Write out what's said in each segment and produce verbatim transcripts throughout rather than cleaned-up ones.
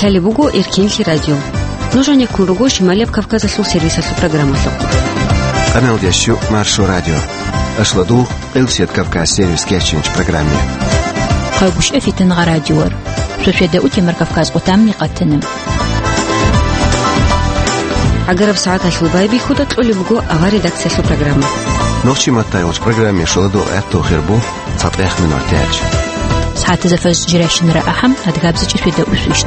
Гьале буго Эркенлъи радио. Нуж гьанеккун руго Шималияб Кавказалъул сервисалъул программалъухъ. Къаналдящу Маршо радио. Ашладу Къилсият Кавказ сервис кечинч программе. Къагушев Фитнагъа радиор. Сосведа утемар Кавказ къутамни къатана. Агараб сагӀаталъул байбихьуда кьолеб буго авар редакциялъул программа. Нохчи маттайолч программе шоладу гӀатту хирбу. ЦатӀех минут гьечӀ. СагӀатазда фаз жиращинара ахӀам, адгабзичӀи светаусвищ.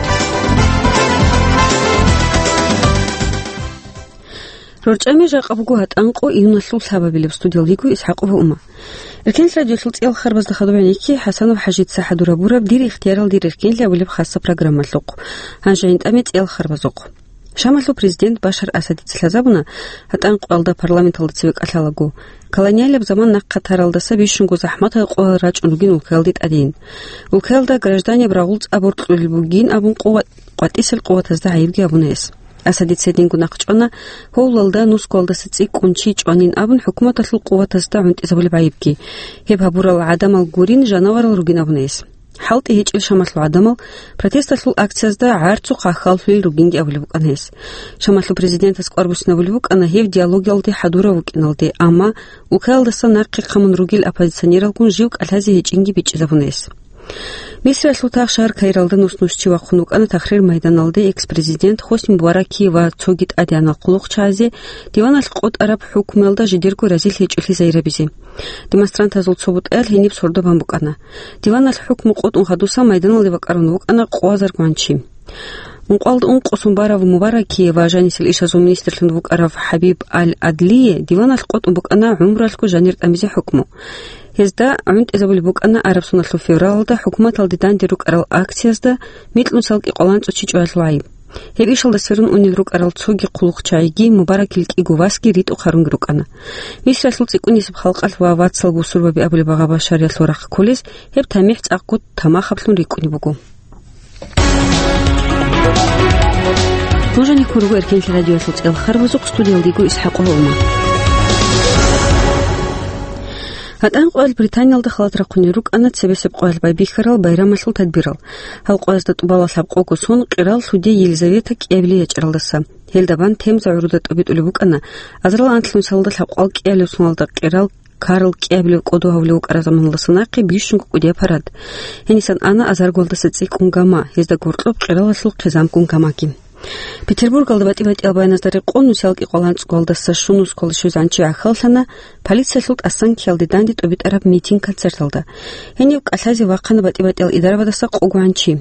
РорчӀами жакъа буго гьатӀанкъо июналъул лъабабилеб, студиялдиго Исхакъова Ума. Эркенлъ радиолъул цӀиял харбазда хадуб гӀенекке ХӀасанов ХӀажица хӀадурабураб «Дир ихтиярал дир эркенлъи» абулеб хаса программалъухъ. Гьанже гьинтӀаме цӀиял харбазухъ. Шамалъул президент Башар Асадица лъазабуна гьатӀан къоялда парламенталда цеве кӀалъалаго, колониалияб заман нахъа таралдаса бищунго захӀматал къоял рачӀун ругин улкаялде тӀадин. Улкаялда гражданияб рагъул цӀа боркьулел бугин абун къува-, къватӀисел къуватазда гӀайибги абуна гьес. Асадица гьединго нахъчӀвана гьовлалда, нусгоялдаса цӀикӀкӀун чи чӀванин абун хӀукуматалъул къуватазда гӀунтӀизабулеб гӀайибги. Гьеб гьабурал гӀадамал гурин, жанаварал ругин абуна гьес. ХӀалтӀи гьечӀел Шамалъул гӀадамал протесталъул акциязда гӀарцухъ хьаллъулел ругинги абулеб букӀана гьес. Шамалъул президентас кӀвар буссинабулеб букӀана гьев диалогалде хӀадурав вукӀиналде, амма улкаялдаса нахъе хъамун ругел оппозиционералгун жив кӀалъазе гьечӀинги бичӀчӀизабуна гьес. Мисриялъул тагъ шагьар Каиралда нус-нус чи вахъун вукӀана Тахрир майданалде экс-президент Хосни Мубараки ва цоги тӀадегӀанал хъулухъчагӀазе диваналъ къотӀараб хӀукмуялда жидерго разилъи гьечӀолъи загьирабизе. Демонстрантазул цо бутӀаял гьениб сордо бан букӀана. Диваналъ хӀукму къотӀун хадуса майданалде бакӀарун вукӀана къоазаргун чи. Ункъоялда ункъо сон барав Мубараки ва жанисел ишазул министрлъун вукӀарав ХӀабиб Аль-Адлие диваналъ къотӀун букӀана гӀумруялъго жанир тӀамизе хӀукму. Гьезда гӀунтӀизабулеб букӀана араб соналъул февралалда хӀукуматалде данде рукӀарал акциязда микьнусал кӀикъоялда анцӀго чи чӀваялъул гӀайиб. Гьеб ишалда сверун унел рукӀарал цоги хъулухъчагӀиги, Мубаракил кӀиго васги ритӀухъ гьарунги рукӀана. Мисриялъул цӀикӀкӀунисеб халкъалъ ва вацал бусурбаби абулеб гъабашариялъул рахъ кколес гьеб тамихӀ цӀакъго тамахаблъун рикӀкӀунеб буго. Нуж гьанеккун руго Эркенлъи радиоялъул цӀиял харбазухъ, студиялдиго Исхакъова Ума. ГьатӀан къоял Британиялда халат рахъунел рукӀана цебесеб къоялъ байбихьарал байрамалъул тадбирал. Гьал къоязда тӀубала лъабкъого сон къирал лъуди Елизавета кӀиабилей ячӀаралдаса. Гьелда бан Темза гӀуруда тӀубитӀулеб букӀана, азарал анлънусалда лъабкъал кӀиабилеб соналда къирал Карл кӀиабилев кӀодо гьавулев вукӀараб заманалдаса нахъе бищунго кӀудияб парад. Гьенисан ана азаргоялдаса цӀикӀкӀун гама, гьезда гуркьоб къиралалъул хъизамккун гамаги. Петербургалда батӀи-батӀиял баяназда рекъон нусиялги къоланцӀгоялда сашунусгоялда щвезегӀан чи гӀахьаллъана полициялъул тӀасан ккеялде данде тӀубитӀараб митинг-концерталда. Гьенив кӀалъазе вахъана батӀи-батӀиял идарабаздаса къого гӀан чи.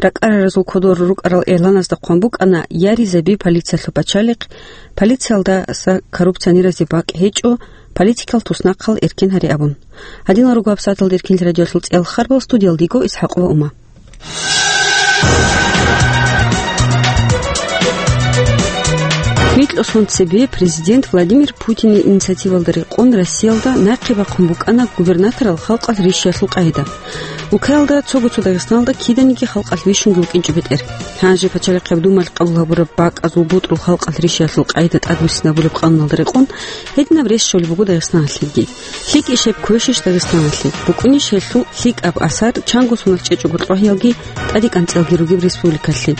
РакӀараразул кодор рукӀарал игъланазда хъван букӀана: «Я ризаби полициялъул пачалихъ, полициялдаса коррупционеразе бакӀ гьечӀо, политикал туснахъал эркен гьаре», – абун. Гьадинал руго гьабсагӀаталда Эркенлъи радиоялъул цӀиял харбал, студиялдиго Исхакъова Ума. Микьго сон цебе президент Владимир Путинил инициативалда рекъон Россиялда нахъе бахъун букӀана губернаторал халкъалъ рищиялъул къагӀида. Улкаялда цого-цо Дагъистаналда киданиги халкъалъ вищунги вукӀинчӀо бетӀер. Гьанже Пачалихъаб Думалъ къабул гьабураб бакӀазул бутӀрул халкъалъ рищиялъул къагӀида тӀадбуссинабулеб къануналда рекъон гьединаб рес щолеб буго Дагъистаналъеги. ЛъикӀищ гьеб квешищ Дагъистаналъе? БукӀунищ гьелъул лъикӀаб асар чанго соналъ чӀечӀого кьогьиялги тӀаде кӀанцӀиялги ругеб республикалъе?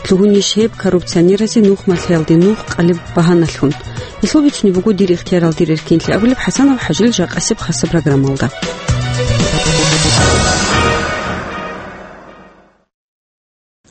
Лъугьунищ гьеб коррупционеразе нух малъиялде нух къалеб багьаналъун? Гьелъул бицунеб буго «Дир ихтиярал, дир эркенлъи» абулеб ХӀасанов ХӀажилил жакъасеб хаса программалда.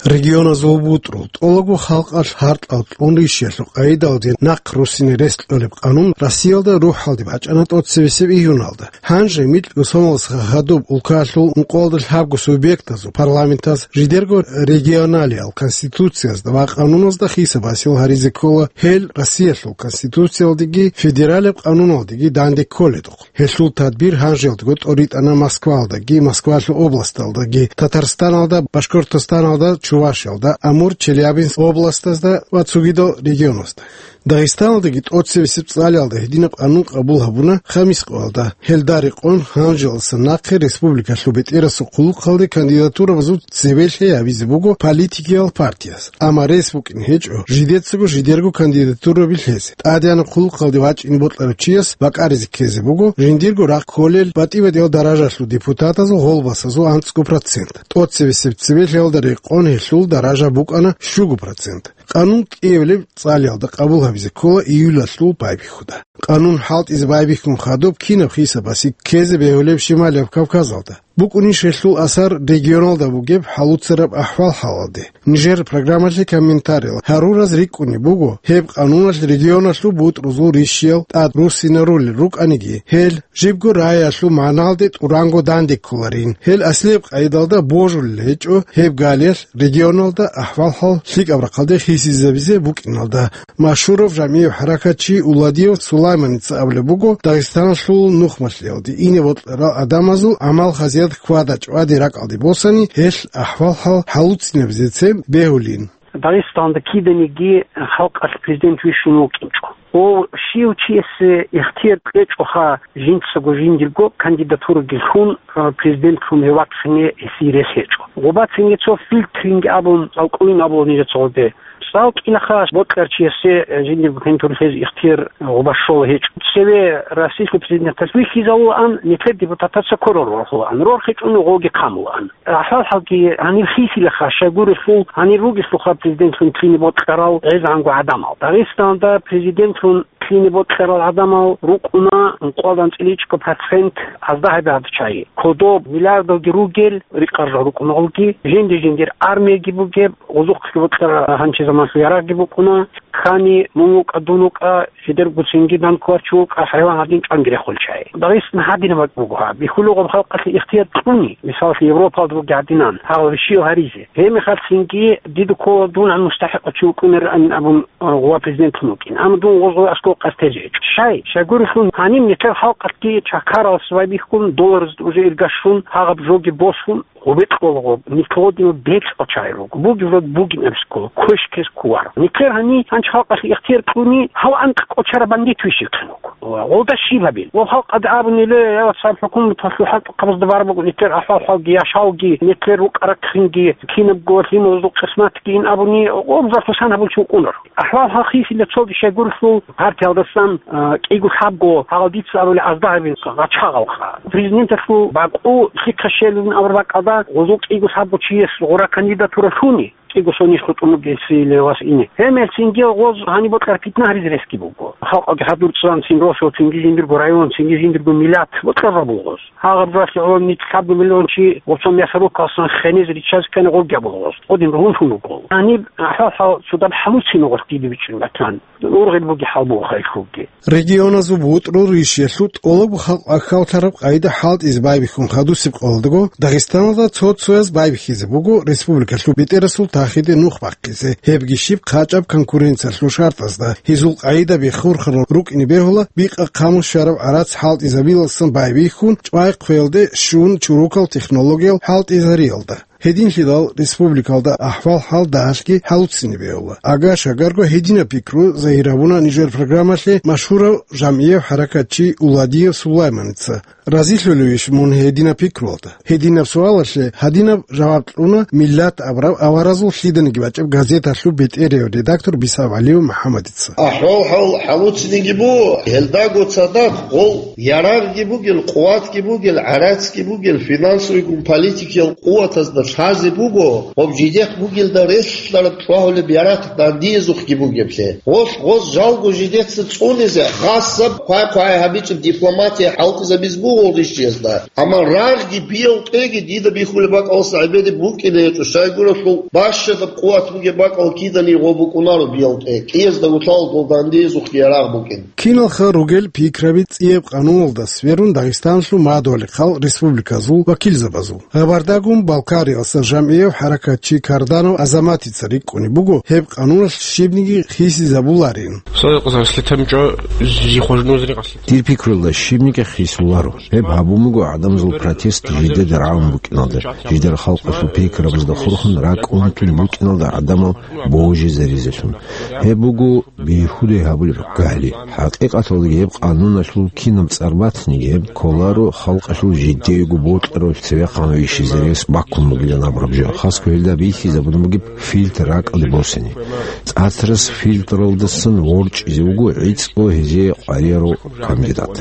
Регионазул бутӀрул, тӀолабго халкъалъ гьаркьал кьун рищиялъул къагӀидалде нахъ руссине рес кьолеб къанун Россиялда рухӀалде бачӀана тӀоцебесеб июналда. Гьанже микьго соналдаса хадуб улкаялъул ункъоялда лъабго субъектазул парламентаз жидерго регионалиял конституциязда ва къануназда хисаб гьасил гьаризе ккола, гьел Россиялъул конституциялдеги федералияб къануналдеги данде кколедухъ. Гьелъул тадбир гьанжелдаго тӀоритӀана Москваялдаги, Москвалъул областалдаги, Татарстаналда, Башкортостаналда, Чувашиялда, Амур, Челябинск областазда ва цогидал регионазда. Дагъистаналдаги тӀоцебесеб цӀалиялда гьединаб къанун къабул гьабуна Хамис къоялда. Гьелда рекъон гьанжелалдаса нахъе республикалъул бетӀерасул хъулухъалде кандидатурабазул цебе лъей гьабизе буго политикиял партияс. Амма рес букӀине гьечӀо жидецаго жидерго кандидатураби лъезе. ТӀадегӀанаб хъулухъалде вачӀине бокьарав чияс бакӀаризе ккезе буго жиндирго рахъ кколел батӀи-батӀиял даражалъул депутатазул гъолбасазул анцӀго процент. ТӀоцебесеб цебе лъеялда рекъон гьелъул даража букӀана щуго процент. Къанун кӀиабилеб цӀалиялда къабул гьабизе ккола июлалъул байбихьуда. Къанун хӀалтӀизе байбихьун хадуб кинаб хисабасе ккезе бегьулеб Шималияб Кавказалда? БукӀунищ гьелъул асар регионалда бугеб хӀалуцараб ахӀвал-хӀалалде? Нижер программалъе комментариял гьарураз рикӀкӀунеб буго, гьеб къануналъ регионалъул бутӀрузул ришиял тӀад руссинарулел рукӀаниги, гьел жибго раялъул магӀналде тӀуранго данде кколарин. Гьел аслияб къайдалда божулел гьечӀо, гьеб галиялъ регионалда ахӀвал-хӀал лъикӀаб рахъалде хисизабизе букӀиналда. Машгьурав жамгӀияв хӀаракатчи Уладиев Сулайманица абулеб буго, Дагъистаналъул нухмалъиялде ине бокьарал гӀадамазул гӀамал-хасият хьвада-чӀвади ракӀалде босани, гьелъ ахӀвал-хӀал хӀалуцинабизецин бегьулин. Дагъистаналда киданиги халкъалъ президент вищун вукӀинчӀо. Ва щив чиясе ихтияр кьечӀоха жинцаго жиндирго кандидатураги лъун, а, президентлъун гьев вахъине гьесие рес гьечӀо. Гъубацинги цо фильтринги абун, цӀалкӀуйин абула нижеца гъоде. ЦӀалкӀилаха бокьарав чиясе, э, жиндирго кандидатура лъезе ихтияр гъуба щола гьечӀо. Цеве Россиялъул президенталъ вихьизавулаан, нилъер депутатаца кверал рорхулаан, рорхичӀони гъоги хъамулаан. АхӀвал-хӀалги гьаниб хисилаха, щайгурелъул гьанир ругелъулха президентлъун лъине бокьарал гӀезегӀанго гӀадамал. Дагъистаналда президентлъун лъине бокьарал гӀадамал рукӀуна ункъоялда анцӀила ичӀго процент, азда гьабигӀат чагӀи. Кодоб миллиардалги ругел рикъарал рукӀуна гъолги, жинди-жиндир армияги бугеб, гъозухъги бокьарал гьанчи заманалъул ярагъги букӀуна, ккани мун вукӀа, дун вукӀа, жидерго цинги данде кколев чи вукӀа, хӀайван гьадин чӀванги рехулев чагӀи. Дагъистан гьадинаб бакӀ буго гьаб. Бихьулеб гъаб халкъалъе ихтияр кьуни, мисалалъе, Европалда бугеб гьадинан, гьагъаб щиб гьаризе. Гьеб мехалъ цинги дида ккола дун гьан мустахӀикъав чи вукӀунарин абун, а, гъуба президентлъун вукӀин. Амма дун гъоз гъой аскӀов къасд тезе гьечӀо. Щай? Щайгурелъул гьаниб нилъер халкъалъги чакаралъ байбихьун, доллараз уже ирга щун, гьагъаб жоги босун, гъубекь ккола гъоб, нилъ гъодинал бецӀал чагӀи руго. Бугеб жо бугин абизе ккола, квеш ккезе кколаро. Нилъер гьаниб гьанчи халкъалъе ихтияр кьуни, гьав анкь кӀочараб бандит вищевхъин вуго. Ва гъолда щиб гьабил? Ва халкъалда абунила, я, цаб хӀукуматалъул хӀалтӀухъабазда бараб буго нилъер ахӀвал-хӀалги, яшавги, нилъер рукӀа-рахъинги, кинабго лъималазул къисматги ин абуни, гъоб жо хъусан гьабулев чи вукӀунаро. АхӀвал-хӀал хисилеб цоги щайгурелъул гьартиялдасан, а, кӀиго-лъабго, гьагъал дица абулеб, азда гьабин гъачагъалха. Президенталъул бакӀу лъихъа щелин абураб бакӀалда гъозул кӀиго-лъабго чияс гъура кандидатура лъуни, кӀиго сонищ хутӀун бугесиле вас ине. Гьеб мехалъ цинги гъоз гьаниб бокьараб питна гьаризе ресги буго. Халкъалги хӀадур цӀан цин росулъ цинги жиндирго район, цинги жиндирго миллат бокьараб буго гъоз. Гьагъаб жоялъе гӀоло нилъ лъабго миллион чи гъоцо мясорубкаялдасан хенезе риччазе ккани гъоркьа буго гъоз. Гъодин ругьунлъун руго. Гьаниб ахӀвал-хӀал цо даб хӀалуцин гъоркь дида бичӀчӀун батан. Ургъел бугеб хӀал буго хай хьулги. Регионазул бутӀрул ришиялъул тӀолабго халкъ ахьаллъараб къайда хӀалтӀизе байбихьун хадусеб къоялдаго Дагъистаналда цо-цояз байбихьизе буго республикалъул бетӀерасул тахиде нух бахъизе, гьебги щиб хъачӀаб конкуренциялъул шартӀазда, гьезул къайдаби хурхарал рукӀине бегьула бикъа хъаму щвараб гӀарац хӀалтӀизабиялдасан байбихьун, чӀвай хъвелде щун чорокал технологиял хӀалтӀизариялда. Гьединлъидал республикалда ахӀвал-хӀал дагьалъги хӀалуцине бегьула. Ага-шагарго гьединаб пикру загьир гьабуна нижер программалъе машгьурав жамгӀияв хӀаракатчи Уладиев Сулайманица. Разилъулевищ мун гьединаб пикруялда? Гьединаб суалалъе гьадинаб жаваб кьуна Миллат абураб аваразул лъиданиги бачӀеб газеталъул бетӀерав редактор Бисав ГӀалиев МухӀаммадица. АхӀвал-хӀал хӀалуцинеги буго, гьелдаго цадахъ гъол ярагъги бугел, къуватги бугел, гӀарацги бугел, финансовыйгун политикиял къуватазда лъазе буго, гъоб жидехъ бугелда релълъараб чӀвагьулеб ярагъ дандиязухъги бугеблъи. Гъолъ гъоз жалго жидеца цӀунизе, хасаб хъвай-хъвай гьабичӀеб дипломатия хӀалтӀизабиз буго гъол ришиязда. Амма рагъги биялтӀеги дида бихьулеб бакӀалдаса гӀебеде букӀине гьечӀо, щайгурелъул бащадаб къуват бугеб бакӀал киданиги гъо букӀунаро биялтӀе, кӀиязда гьулъал дол дандиязухъги ярагъ букӀин. Киналха ругел пикраби цӀияб къануналда сверун Дагъистаналъул мадугьал-хъал республиказул вакилзабазул. Гъабардагун Балкариялдаса жамгӀияв хӀаракатчи Карданов Азаматица рикӀкӀунеб буго гьеб къануналъ щибниги хисизабуларин. Дир пикруялда щибниги хисуларо. Гьеб гьабун буго гӀадамазул протест жидеда рагӀун букӀиналда, жидер халкъалъул пикрабазда хурхун ракӀ унтун букӀиналда гӀадамал божизаризелъун. Гьеб буго бихьулей гьабулеб гали. ХӀакъикъаталдаги гьеб къануналъул кинаб цӀар батаниги, гьеб кколаро халкъалъул жидеего бокьарав цевехъан вищизарес баккун бугилан абураб жо. Хасго гьелда бихьизабун бугеб фильтр ракӀалде босани. ЦӀацарас фильтралдасан ворчӀизе вуго гӀицӀго гьезие къваригӀарав кандидат.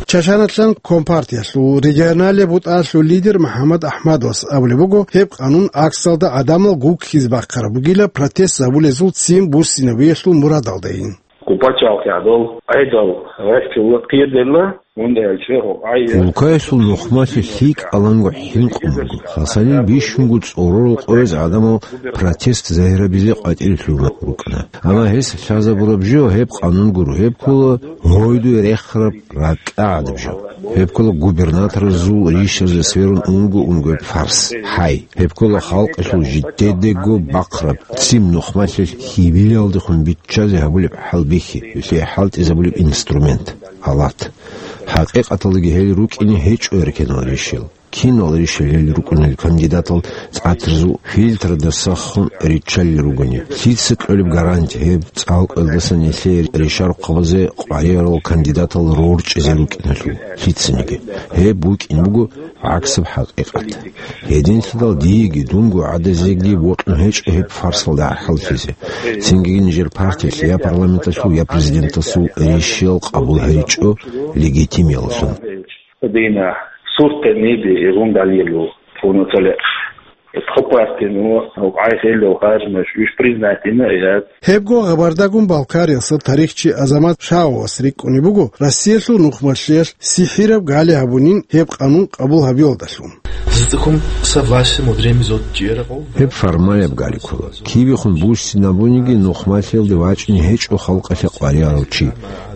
Чачаналъан компартиялъул регионалияб бутӀалъул лидер МухӀаммад АхӀмадовас абулеб буго, гьеб къанун аксалда гӀадамал гуккизе бахъараб бугила, протест гьабулезул ццин буссинабиялъул мурадалдайин. Къупачалхъ гӀадал, гӀедал, гӀехтулла, кьирдерла, гьундаялчи гьукъай. Улкаялъул нухмалъи лъикӀаланго хӀинкъун буго. Хасанил бищунго цӀорорал къояз гӀадамал протест загьирабизе къватӀире лъугьун рукӀана. Амма гьес лъазабураб жо гьеб къанун гуро, гьеб ккола гьойдуе рехараб ракӀа гӀадаб жо. Гьеб ккола губернаторазул ришазе сверун унго-унго фарс, хӀай. Гьеб ккола халкъалъул жидедего бахъараб, ццин нухмалъи хьибилалдехун биччазе гьабулеб хӀалбихьи, гьелъие хӀалтӀизабулеб инструмент, алат. ХӀакъикъаталдаги гьел рукӀине гьечӀо эркенал ришел. Кинал ришел гьел рукӀунел кандидатал цӀацарзул фильтрада сахун риччалел ругони? Лъица кьолеб гаранти гьеб цӀалкӀаялдасан нилъее ришарухъабазе къваригӀарал кандидатал рорчӀизе рукӀиналъул? Лъицаниги. Гьеб букӀин буго гӀаксаб хӀакъикъат. Гьединлъидал диеги дунго гӀадазеги бокьун гьечӀо гьеб фарсалда гӀахӀаллъизе. Цинги нижер партиялъе я парламенталъул, я президентасул ришиял къабул гьечӀо легитимияллъун. Дина суртаниби игъундалилу пунатале. Хъупартину гӀайхӀелал гъажмаш виш признатина яд. Гьебго хабардагун Балкариялъул тарихчи Азамат Шавовас рикӀкӀунеб буго, Россиялъул нухмалъиялъ сихӀираб гали гьабунин гьеб къанун къабул гьабиялдалъун. Гьеб формалаб гали ккола. Кибехун буссинабуниги нухмалъиялде вачӀине гьечӀо халкъалъе къваригӀарав чи.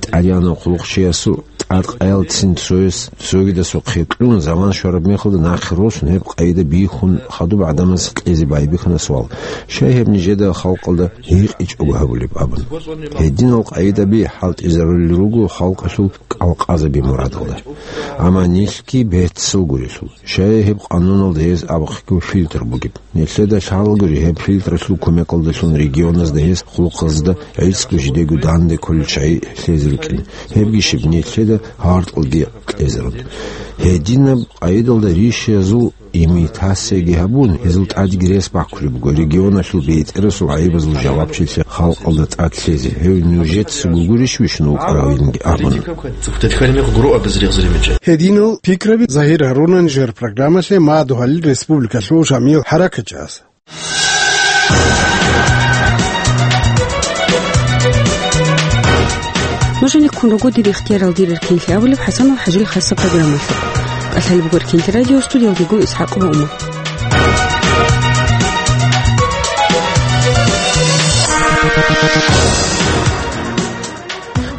ТӀадегӀанав хъулухъчиясул тӀадкъаялдацин цояс цогидасухъе кьун, заман щвараб мехалда нахъе росун, гьеб къайда бихьун хадуб гӀадамаз кьезе байбихьана суал, щай гьеб нижеда халкъалда гьикъичӀого гьабулеб абун. Гьединал къайдаби хӀалтӀизарулел руго халкъалъул кӀалкъазаби мурадалда. Амма нилъги беццал гурелъул, щай гьеб къануналда гьез абухъего фильтр бугеб. Нилъеда лъалагури гьеб фильтралъул кумекалдалъун регионазда гьес хъулухъазда гӀицӀго жидего данде кколел чагӀи лъезе рукӀин. Гьебги щиб нилъеда гьартӀалги кьезарун. Гьединаб къайдалда ришиязул имитацияги гьабун, гьезул тӀадги рес баккулеб буго регионалъул бетӀерасул гӀайибазул жавабчилъи халкъалда тӀад лъезе, гьев нужецаго гурищ вищун вукӀаравинги абун. Гьединал пикраби загьир гьаруна нижер программалъе мадугьалил республикалъул жамигӀ хӀаракатчияс. Нужениккун руго дир ихтиярал дирер кинлъи абулеб ХӀасанов ХӀажил хасаб программалъе. КӀалъалеб буго кинлъи радио, студиялдего ИсхӀакъ Мугьман.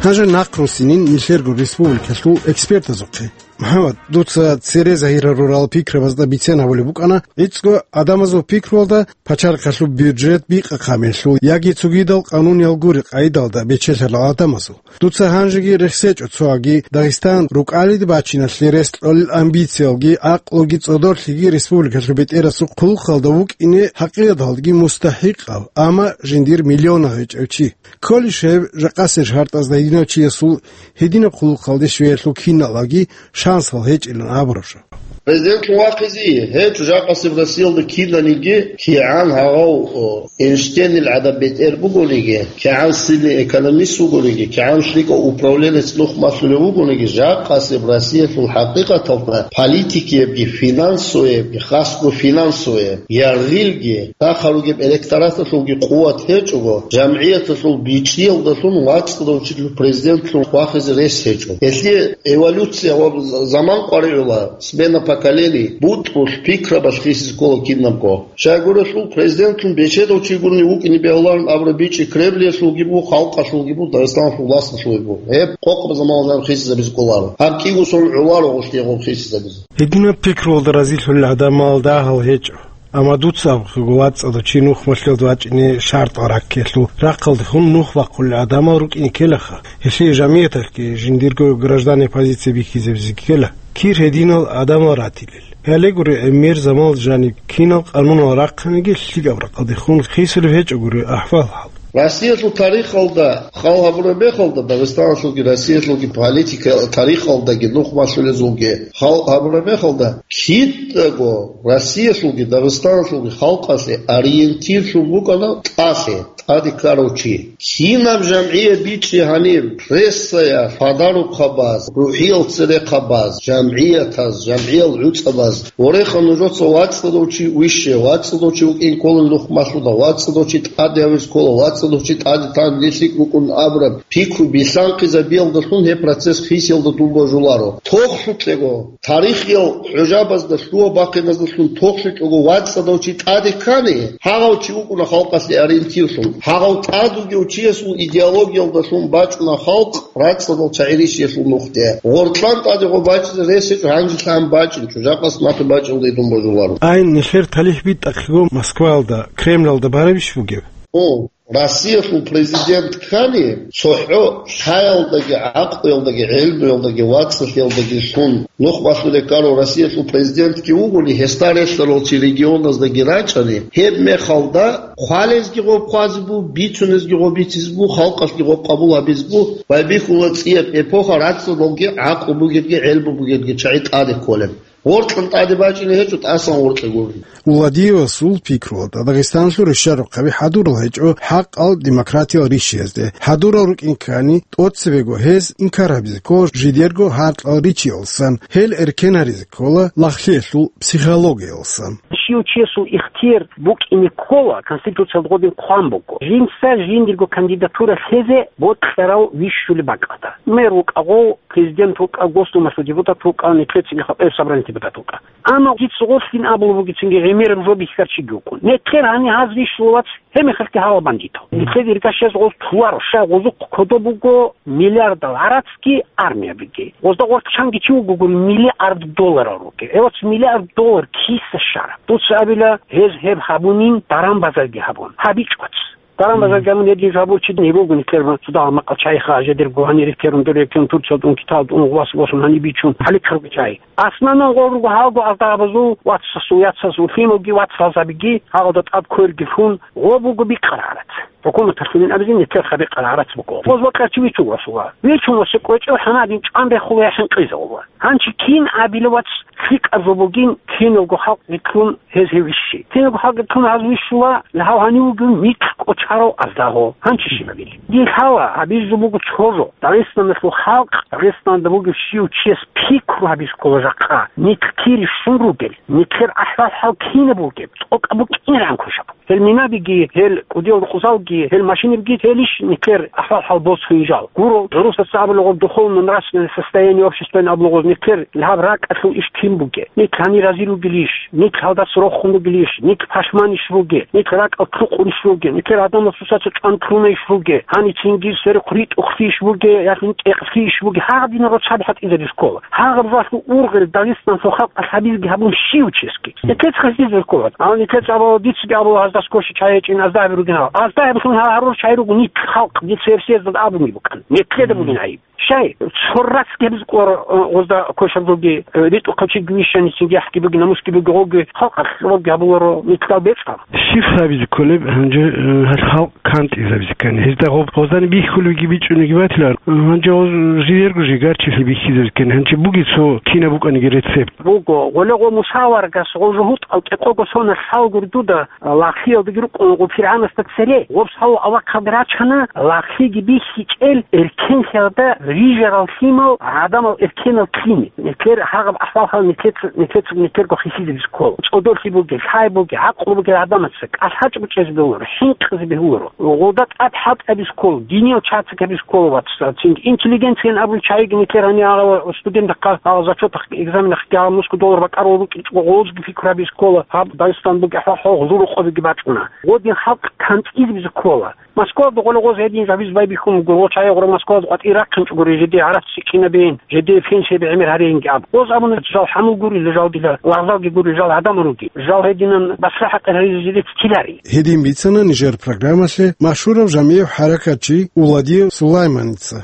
Гьанже нахъ руссинин нилъерго республикалъул экспертазухъе. МухӀаммад, дуца цере загьир гьарурал пикрабазда бицен гьабулеб букӀана, гӀицӀго гӀадамазул пикруялда пачалихъалъул бюджет бикъахъаб мехалъул яги цогидал къануниял гури къайдалда бечелъарал гӀадамазул. Дуца гьанжеги рехсечӀо цоги Дагъистан рукӀалиде бачиналъе рес кьолел амбициялги, гӀакълуги, цӀодорлъиги республикалъул бетӀерасул хъулухъалда вукӀине хӀакъикъаталдаги мустахӀикъав, амма жиндир миллионав гьечӀев чи. Кколищ гьеб жакъасеб шартӀазда гьединав чиясул гьединаб хъулухъалде щвеялъул киналги шансал гьечӀилан абураб жо? Президентлъун вахъизе гьечӀо жакъасеб Россиялда кинаниги, кигӀан гьагъав, о, Эйнштейнил гӀадаб бетӀер бугониги, кигӀан сильный экономист вугониги, кигӀан лъикӀав управленец нух малъулев вугониги, жакъасеб Россиялъул хӀакъикъаталда политикиябги, финансоваябги, хасго финансоваяб, яргъилги, рахъал ругеб электораталъулги къуват гьечӀого, жамгӀияталъул бичӀчӀиялдалъун вацӀцӀадав чилъул президентлъун хвахизе рес гьечӀо. Гьелъие эволюция ва заман къваригӀула, смена поколений, бутӀрулъ, пикрабалъ хисизе ккола кинабго. Щайгурелъул президентлъун бечедав чи гурони вукӀине бегьуларин абураб бичӀчӀи Кремлиялъулги буго, халкъалъулги буго, Дагъистаналъул власталъулги буго. Гьеб къокъаб заманалда хисизабизе кӀоларо. Гьаб кӀиго сон гӀоларо гъорлъ гъоб хисизабизе. Гьединаб пикруялда разилъулел гӀадамал дагьал гьечӀо. Амма дуца абухъего вацӀцӀадав чи нухмалъулда вачӀине шартӀал раккиялъул рахъалдехун нух бахъулел гӀадамал рукӀине ккелаха. Гьелъие жамияталъги жиндирго гражданиял позиция бихьизабизе ккела, кир гьединал гӀадамал ратилел. Гьале гури, гӀемер заманалда жаниб кинал къанунал рахъаниги лъикӀаб рахъалдехун хисулеб гьечӀо гури ахӀвал-хӀал. Россиялъул тарихалда хал гьабураб мехалда, Дагъистаналъулги Россиялъулги политика тарихалдаги нухмалъулезулги хал гьабураб мехалда, кидаго Россиялъулги Дагъистаналъулги халкъалъе ориентирлъун букӀана тӀалъи, тӀаде ккарав чи. Кинаб жамгӀият бичӀчӀи гьаниб, прессаялъ, подарокабаз, рухӀиял церехъабаз, жамгӀиятаз, жамгӀиял гӀуцӀабаз, вореха нужеца вацӀцӀадав чи вище, вацӀцӀадав чи вукӀин кколин нухмалъуда, вацӀцӀадав чи тӀаде гьавизе ккола, вацӀцӀадав чи тӀаде тан лъикӀ букӀун абураб пикру билълъанхъизабиялдалъун гьеб процесс хисиялда дун божуларо. Тохлъукьего, тарихиял хӀужабазда лъугьа-бахъиназдалъун тохлъукьего вацӀцӀадав чи тӀаде ккани, гьагъав чи вукӀуна халкъалъе ориентирлъун. Гьагъав тӀад вугев чиясул идеологиялдалъун бачӀуна халкъ рацӀцӀадал чагӀи рищиялъул нухде. Гъоркьан тӀаде гъо бачӀизе рес гьечӀо, гьанжелъан бачӀинчӀо, жакъас нахъе бачӀиялда идун божуларо. Ай, нилъер талихӀ битӀахъего Москваялда, Кремлалда барабищ бугеб? О, Россиялъул президент ккани, цохӀо лъаялдаги, гӀакълуялдаги, гӀелмуялдаги, вацӀцӀалъиялдаги лъун, нухмалъулел ккарав Россиялъул президентги вугони, гьесда релълъарал чи регионаздаги рачӀани, гьеб мехалда хъвалезги гъоб хъвазе бу, бицунезги гъоб бицизе бу, халкъалъги гъоб къабул гьабизе бу, байбихьула цӀияб эпоха рацӀцӀадалги гӀакълу бугебги, гӀелму бугебги чагӀи тӀаде кколеб. Гъоркьан тӀаде бачӀине гьечӀо, тӀасан гъоркье гури. Уладиевасул пикруялда, Дагъистаналъул рещарахъаби хӀадурал гьечӀо хӀакъал демократиял рищиязде. ХӀадурал рукӀин ккани, тӀоцебего гьез инкар гьабизе ккола жидерго гьаркьал ричиялсан, гьел эркен гьаризе ккола лагълъиялъул психологиялсан. Щив чиясул ихтияр букӀине ккола, Конституциялда гъодин хъван буго, жинца жиндирго кандидатура лъезе бокьарав вищулеб бакӀалда. Мэр вукӀа гъов, президент вукӀа, Госдумалъул депутат вукӀа, нилъецаги хатӀаб собраниялъул депутат вукӀа. Амма дица гъорлъин абулеб бугецинги, гӀемераб жо бихьарав чиги вукӀун. Нилъер гьаниб гьаз вищула, вац, гьеб мехалъги гьала бандитал. Нилъер иргашаз гъоз туларо, щай гъозухъ кодоб буго миллиардал гӀарацги армиябиги. Гъозда гъорлъ чанги чи вуго гури миллиард долларал ругел. Э, вац, миллиард доллар киса щараб? Дуца абила, гьез гьеб гьабунин, даран-базарги гьабун. ГьабичӀ, вац. Даран-базарги гьабун гьедин жо гьабурав чи гьеб буго, нилъер цо дагьал макъал чайха, жедерго гьанир рекерун, дор рекерун, Турциялда ун, Киталда ун, вас, восун гьаниб бичун, гьаликарго чай. Асланан гъо руго гьалго азда абазул вацасул яцаз улъималги вацалзабиги гьалда тӀад кверги лъун, гъо буго бикъарарат. ХӀукуматалъулин абизин нилъер хабикъарарат буго. Гъоз бокьарчи вичун васула. Вичун васа кӀвечӀев хӀанадин чӀван рехула я хӀинкъизавула. Гьанчи кин абила, вац, лъикӀаб жо бугин, киналго халкъ риккун гьез гьев вищи. Киналго халкъ риккун гьаз вищула, гьав гьанив вугев микь кӀочарав аздаго. Гьанчи щиб абили? Дие лъала, гьабизе жо буго цо жо. Дагъистаналъул халкъ, Дагъистанда бугев щив чияс пикру гьабизе ккола жакъа, нилъ кири щун ругел, нилъер ахӀвал-хӀал кинаб бугеб, тӀокӀаб букӀинегӀан квешаб. Гьел минабиги, гьел кӀудиял рукъзалги, гьел машинабиги, гьелищ нилъер ахӀвал-хӀал босун жал? Гуро, гӀурусаца абулагъур духовно-нравственное состояние общества абулагъуз, нилъер гьаб ракӀалъул иш кин бугеб? Нилъ гьанир разил ругелищ? Нилъ гьалдаса рохун ругелищ? Нилъ пашманищ ругел? Нилъ ракӀал лъукъунищ ругел? Нилъер гӀадамал сусаца чӀван кьунайищ ругел? Гьанив цинги сверухъ ритӀухълъийищ бугел, яхин тӀекълъийищ бугел? Гьагъадинал рацу гьаб хӀатӀизаризе ккола. Гьагъаб жалъу ургъел Дагъистаналъул халкъалъ гьабизеги гьабун щив чесги. Нилъеца хасизе ккола. Амма нилъеца абула, дицаги абула, гьаздас коши чай гьечӀин, азда гьабиругин гьал. Азда гьабилъун гьал гьарурав чай руго нилъ халкъ, дица гьеб съездалда абуни букӀан. Нилъеда бугин гӀайиб. Щай, цо рацги гьабизе кколаро, э, гъозда кошаб жоги, э, ритӀухъав чиги вищани, цинги яхӀги буги, намусги буги, гъоги халкъалъ гъоги гьабуларо нилъал бецӀал. Щиб гьабизе кколеб гьанже, э, гьал халкъ кантӀизабизе ккани? Гьезда гъоб гъозани бихьулебги бичӀчӀулебги батилар. Гьанже гъоз жиерго жигарчилъи бихьизабизе ккани. Гьанже буги цо кинаб букӀаниги рецепт. Буго, гъоле гъо Муса аварагас гъо жугьутӀал кӀикъого соналъ лъалгури дуда, лагълъиялдаги рукӀун гъо ПиргӀанасда цере. Гъоб лъала авахъалде рачана, лагълъиги бихьичӀел эркенлъиялда рижарал лъимал гӀадамал эркенал ккине. Нилъер гьагъаб ахӀвал-хӀал нилъеца, нилъеца, нилъерго хисизабизе ккола. ЦӀодорлъи бугел, лъай бугел, гӀакълу бугел гӀадамаца кӀалъачӀго чӀезе бегьуларо, хӀинкъизе бегьуларо. Гъолда тӀад хӀалтӀаби ккола, диниял чагӀи ккаби ккола, вацал, цинги интеллигенциялъ абун чагӀиги нилъер гьанир гьала студентахъа гьала зачетахъ, экзаменахъ гьала нусго доллар бакӀарал рукӀинчӀого гъозги пикру гьаби ккола, гьаб Дагъистан бугеб хӀал гъозул рукъобиги бачӀуна. Гъодин халкъ кантӀизабизе ккола. Москвалда гъола гъоз гьедин жабиз байбихьун буго, гъо чагӀи гъура Москвалда къватӀир рахъин гури, жеде гӀарац щикӀинабин, жеде пенсияби гӀемер гьарейинги аб. Оз абуна, жал хӀамул гурила, жал дила лагъзалги гурила, жал гӀадамал руги. Жал гьединан басра хӀакъир гьаризе жеде ккелари. Гьедин бицана нижер программалъе машгьурав жамигӀ хӀаракатчи Уладиев Сулайманица.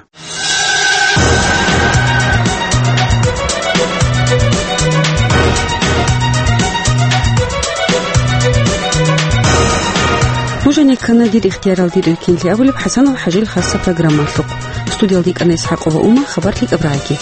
Нуж гьанир ккана «Дир ихтиярал, дир эркенлъи» абулеб ХӀасанов ХӀажил хасса программалъухъ. Студиялда йикӀана ИсхӀакъова Ума, хабар лъикӀаб рагӀаги.